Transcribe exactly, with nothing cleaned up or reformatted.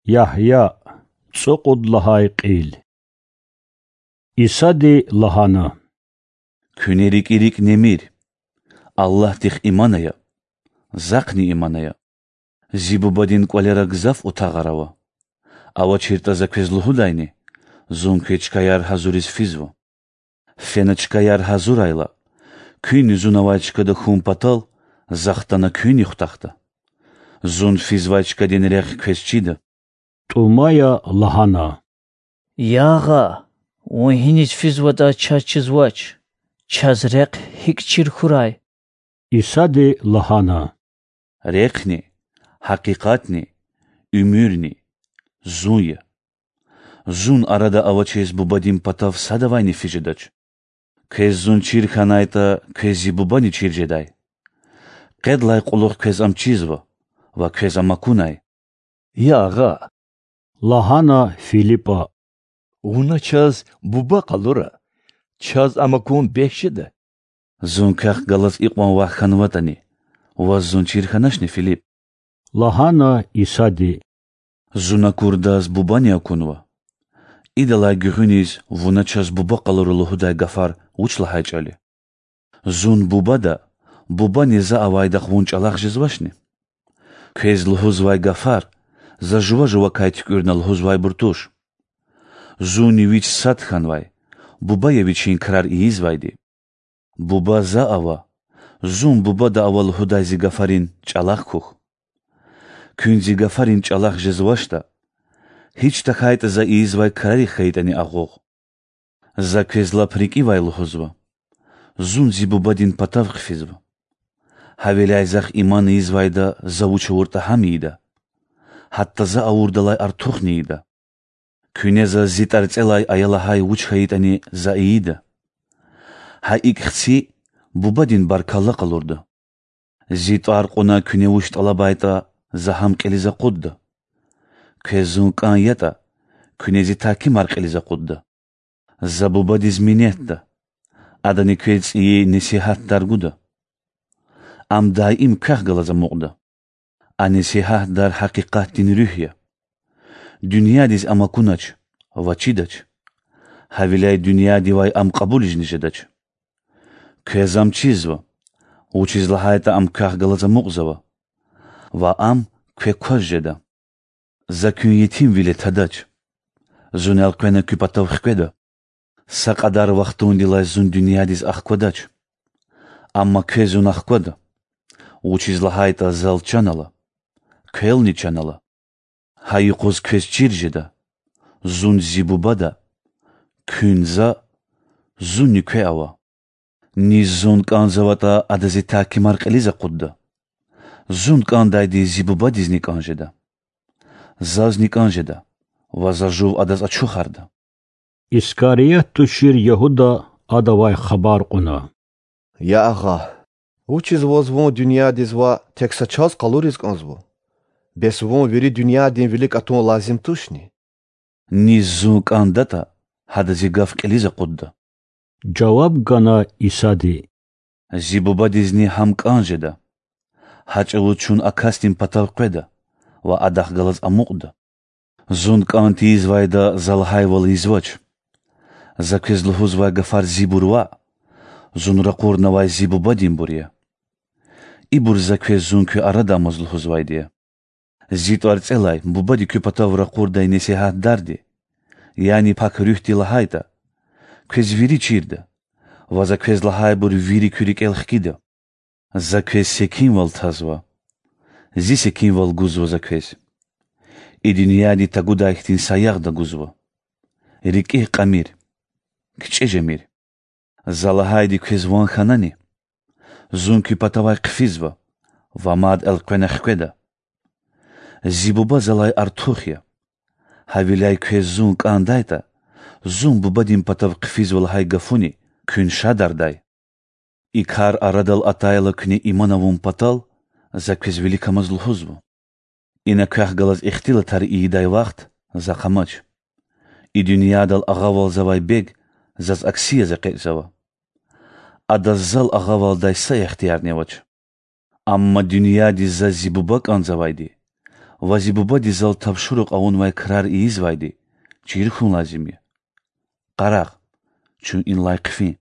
Ягья, цӀукьуд лагьай кьил. Исади лагьана: Куьне рикӀи-рикӀ немир. Аллагьдихъ иман ая, Захъни иман ая. Зи Бубадин кӀвалера гзаф утагъар ава. АвачиртӀа За квез лугьудайни: Зун квез чкаяр гьазуриз физва. Фена чкаяр гьазурайла, куьнни Зун авай чкада хьун патал, За хтана куьнни хутахда. Зун физвай чкадин рехъ квез чида. ТӀумая лагьана: Я Агъа, Вун гьиниз физватӀа чаз чизвач. Чаз рехъ гьикӀ чир хьурай? Исади лагьана: Рехъни, гьакъикъатни, уьмуьрни Зун я. Зун арада авачиз Бубадин патав садавайни физ жедач. Квез Зун чир хьанайтӀа, квез Зи Бубани чир жедай. Къедлай кьулухъ квез Ам чизва ва квез Ам акунай. Я Агъа,— лагьана Филипа,— Вуна чаз Буба къалура, чаз Ам акун бес жеда. Зун Квехъ галаз икьван вах хьанватӀани, ваз Зун чир хьаначни, Филип? лагьана Исади. Зун акурдаз Бубани акунва. Идалай гуьгъуьниз вуна чаз Буба къалура лугьудай гафар вуч лагьай чӀал я? Зун Бубада, Бубани За авайдахъ вун чӀалахъ жезвачни? Квез лугьузвай гафар За жува-жувакай туькӀуьрна лугьузвайбур туш. Зунни Вич сад хьанвай, Буба я Вичин крар ийизвайди. Буба За ава, Зун Бубада ава лугьудай Зи гафарин чӀалахъ хьухь. Куьн Зи гафарин чӀалахъ жезвачтӀа, гьич тахьайтӀа За ийизвай крарихъ хьайитӀани агъуз. За квез лап рикӀивай лугьузва: Зун Зи Бубадин патав хъфизва. Гьавиляй Захъ иман ийизвайда За вуч авуртӀа гьам ийида, гьатта За авурдалай артухни ийида. Куьне Заз Зи ТӀварцӀелай ая лагьай вуч хьайитӀани За ийида. Гьа икӀ хци Бубадин баркалла къалурда. Зи тӀвар кьуна куьне вуч тӀалабайтӀа, За гьам кьилиз акъудда. Квез Зун кӀан ятӀа, куьне Зи тагькимар кьилиз акъудда. За Бубадиз минетда, Адани квез цӀийи Несигьатдар гуда. Ам даим квехъ галаз амукьда. А Несигьатдар гьакъикъатдин Руьгь я. Дуьньядиз ам акунач ва чидач, гьавиляй дуьньядивай ам кьабулизни жедач. Квез ам чизва, вучиз лагьайтӀа ам квехъ галаз амукьзава, ва ам квекваз жеда. За куьн етимвиле тадач. Зун элкъвена куь патав хкведа. Са кьадар вахтундилай Зун дуьньядиз ахквадач. Амма квез Зун ахквада, вучиз лагьайтӀа Зал чан ала, квелни чан ала. Гьа юкъуз квез чир жеда: Зун Зи Бубада, куьн За, Зунни кве ава. Низ Зун кӀанзаватӀа, ада Зи тагькимар кьилиз акъудда. Зун кӀандайди Зи Бубадизни кӀан жеда. Зазни кӀан жеда ва За жув адаз ачухарда. Искариот тушир Ягьуда Адавай хабар кьуна: Я Агъа, вучиз Ваз Вун дуьньядиз ваъ, тек са чаз къалуриз кӀанзава? Бес Вун вири дуьньядин вилик атун лазим тушни? Низ Зун кӀандатӀа, гьада Зи гаф кьилиз акъудда,— жаваб гана Исади,— Зи Бубадизни гьам кӀан жеда. Гьа чӀавуз чун а касдин патав къведа ва адахъ галаз амукьда. Зун кӀан тийизвайда За лагьайвал ийизвач. За квез лугьузвай гафар Зибур ваъ, Зун ракъурнавай Зи Бубадинбур я. Ибур За квез Зун куь арада амаз лугьузвайди я. Зи ТӀварцӀелай Бубади куь патав ракъурдай Несигьатдарди, яни Пак Руьгьди лагьайтӀа, квез вири чирда ва За квез лагьайбур вири куь рикӀел хкида. За квез секинвал тазва, Зи секинвал гузва За квез. И дуьньяди тагудай хьтин саягъда гузва. РикӀигъ кьамир, кичӀе жемир. За лагьайди квез ван хьанани? Зун куь патавай хъфизва ва мад элкъвена хкведа. Зи Буба Залай артух я. Гьавиляй квез Зун кӀандайтӀа, Зун Бубадин патав хъфизва лагьай гафуни куьн шадардай. И кар арадал атайла куьне иман авун патал, За квез виликамаз лугьузва. Ина квехъ галаз ихтилатар ийидай вахт Захъ амач. И дуьньядал агъавалзавай бег Заз акси яз экъечӀзава. Адаз Зал агъавалдай са ихтиярни авач. Амма дуьньядиз Заз Зи Буба кӀанзавайди Ва зи бубади зал тапшурук авунвай крар ийизвайди чир хьун лазим я. Къарагъ, чун инлай хъфин.